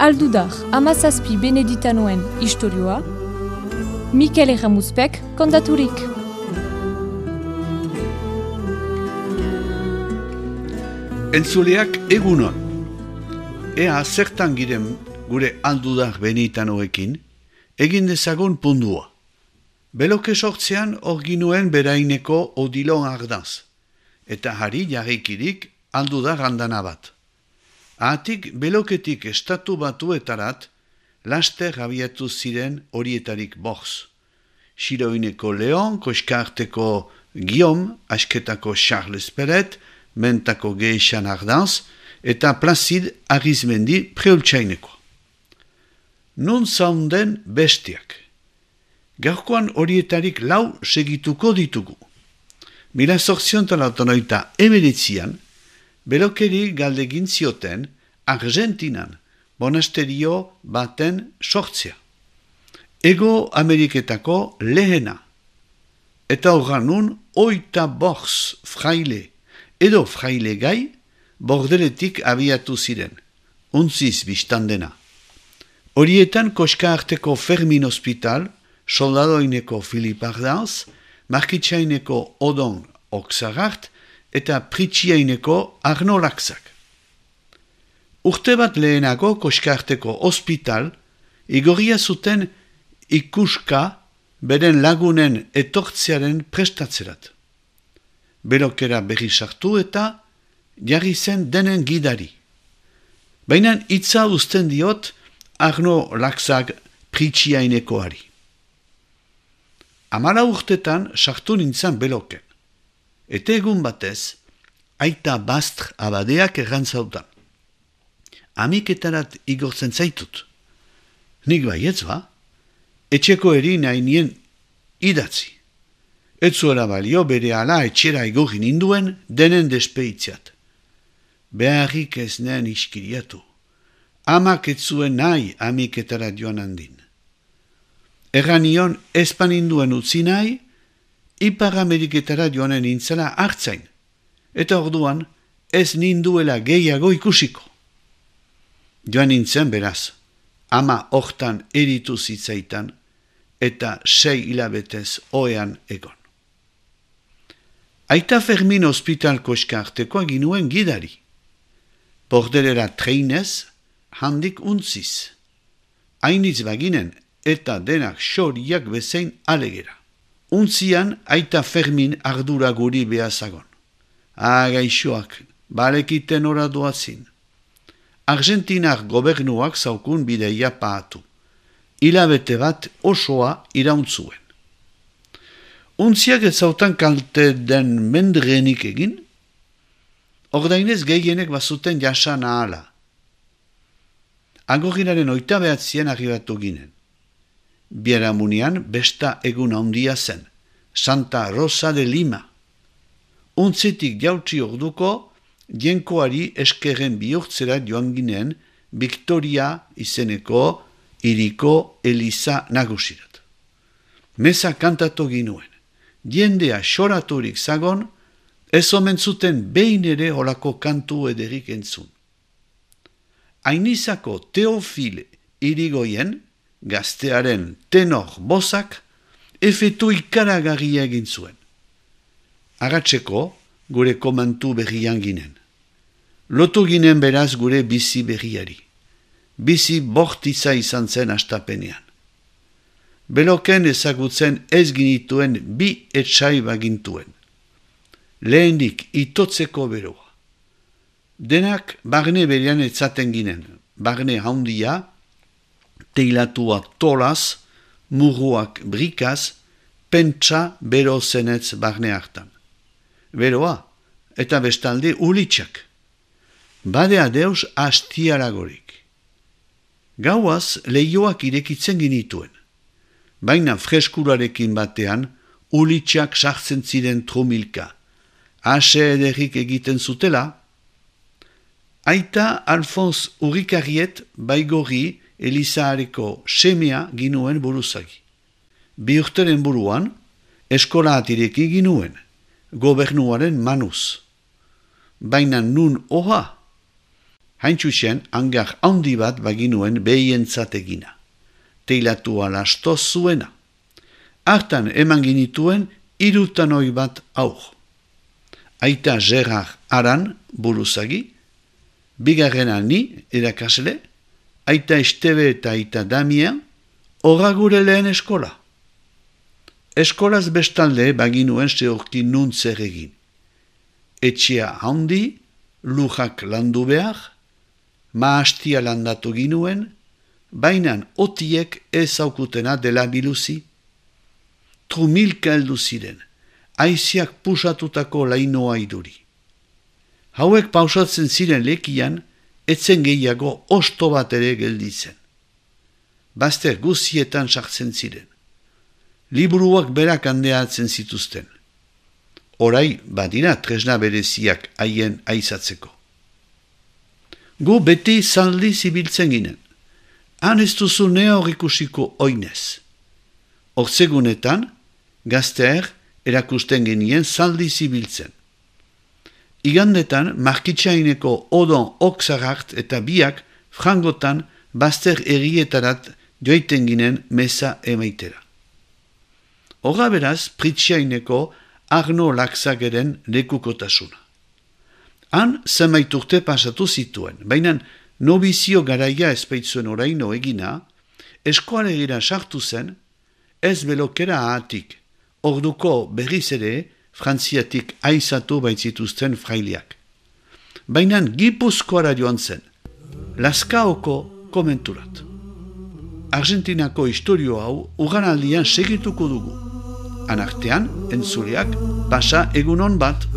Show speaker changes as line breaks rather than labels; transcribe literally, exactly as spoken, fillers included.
Aldudar, amazazpi beneditanoen istorioa, Mikel Erramuzpek kontaturik.
Entzuleak egunon. Ea zertan giren gure aldudar beneditanoekin, egin dezagun pundua. Beloke sortzean hor ginuen beraineko odilon ardaz, eta hari jarrikirik aldudar handana bat. Ahatik beloketik estatu batuetarat, laster abiatu ziren horietarik borz. Xiroineko Leon, Koskarteko Guillaume, Asketako Charles Peret, Mentako Geixan Ardaz, eta Placide Arizmendi Preultsaineko. Nun zaunden bestiak. Gaurkoan horietarik lau segituko ditugu. Mila zortziontalautonoita emeretzian, belokeri galdegin zioten Argentinan monasterio baten sortzea. Ego Ameriketako lehena. Eta horranun oita borz fraile edo fraile gai bordeletik abiatu ziren, untziz biztandena. Horietan Koskarteko Fermin Hospital, soldadoineko Filip Ardaz, Markitsaineko Odon Oksagart, eta Pritsiaineko Arno Laksak. Urte bat lehenago Koskarteko Hospital igorria zuten ikuska beren lagunen etortzearen prestatzerat. Belokera berri sartu eta jarri zen denen gidari. Baina hitza uzten diot Arno Laksak Pritsiainekoari. Amala urtetan sartu nintzen beloken. Eta egun batez, aita Bastr abadeak errantzautan. Amiketarat igortzen zaitut. Nik baietz ba, etxeko eri nahi nien idatzi. Etzuela balio bere ala etxera igorri ninduen denen despeitziat. Beharrik ez nehen iskiriatu. Amak etzuen nahi amiketara joan handin. Erranion ezpaninduen utzi nahi, Ipar Ameriketara joanen nintzela hartzain, eta orduan ez ninduela gehiago ikusiko. Joan nintzen beraz, ama hortan eritu zitzaitan, eta sei hilabetez oean egon. Aita Fermin Hospital Koskartekoa ginuen gidari. Bordelera treinez, handik untziz. Hainitz baginen eta denak xoriak bezain alegera. Untzian aita Fermin ardura guri behazagon. Ah, gaixoak, balekiten ora doazin. Argentinar gobernuak zaukun bideia paatu. Hilabete bat osoa irauntzuen. Untziak ez zautan kalte den mendrenik egin, ordainez gehienek bazuten jasan ahala. Agorrinaren oita behatzien arribatu ginen. Biaramunian besta egun handia zen, Santa Rosa de Lima. Untzitik jautzi orduko, jenkoari eskerren bihurtzera joan ginen Victoria izeneko hiriko Eliza nagusirat. Meza kantatu ginuen, jendea xoraturik zagon, ez omen zuten behin ere holako kantu ederik entzun. Ainizako Teofile irigoien, gaztearen tenor bozak, efetu ikaragarria egin zuen. Agatzeko, gure komantu berrian ginen. Lotu ginen beraz gure bizi berriari. Bizi bortitza izan zen astapenean. Beloken ezagutzen ez ginituen bi etsai bagintuen. Lehendik itotzeko beroa. Denak barne berean etzaten ginen. Barne handia, teilatua tolaz, muruak brikaz, pentsa bero zenetz barne hartan. Beroa, eta bestalde ulitxak. Badea deus hastiaragorik. Gauaz lehioak irekitzen ginituen. Baina freskurarekin batean, ulitxak sartzen ziren trumilka. Ase ederrik egiten zutela. Aita Alfons Urrikarriet baigorri Elizaareko semea ginuen buruzagi. Bi urteren buruan, eskola atireki ginuen, gobernuaren manuz. baina nun oha? Haintxusen, hangar handi bat baginuen behientzat egina. Teilatua lastoz zuena. Hartan eman ginituen irutanoi bat aur. Aita Gerard Aran buruzagi, bigarrena ni erakasle, aita Estebe eta aita Damien, horra gure lehen eskola. Eskolaz bestalde baginuen zehorki nun zer egin. Etxea handi, lujak landu behar, maastia landatu ginuen, bainan otiek ez aukutena dela biluzi. Trumilka heldu ziren, aiziak pusatutako lainoa iduri. Hauek pausatzen ziren lekian, etzen gehiago osto bat ere gelditzen. Bazter guzietan sartzen ziren. Liburuak berak handeatzen zituzten. Orai badira tresna bereziak haien aizatzeko. Gu beti zaldi zibiltzen ginen. Han ez duzu nea hor ikusiko oinez. Hortzegunetan, gazteer erakusten genien zaldi zibiltzen. Igandetan, markitsaineko odon oksarart eta biak frangotan bazter errietarat joiten ginen meza emaitera. Horra beraz, pritsiaineko Arno Laxageren lekukotasuna. Han zenbait urte pasatu zituen, baina nobizio garaia ezpeitzuen oraino egina, eskoalegira sartu zen, ez belokera ahatik, orduko berriz ere, Frantziatik aizatu baitzituzten frailiak. Baina Gipuzkoara joan zen, Lazkaoko komenturat. Argentinako historio hau uganaldian segituko dugu. Anartean, entzuleak, pasa egunon bat.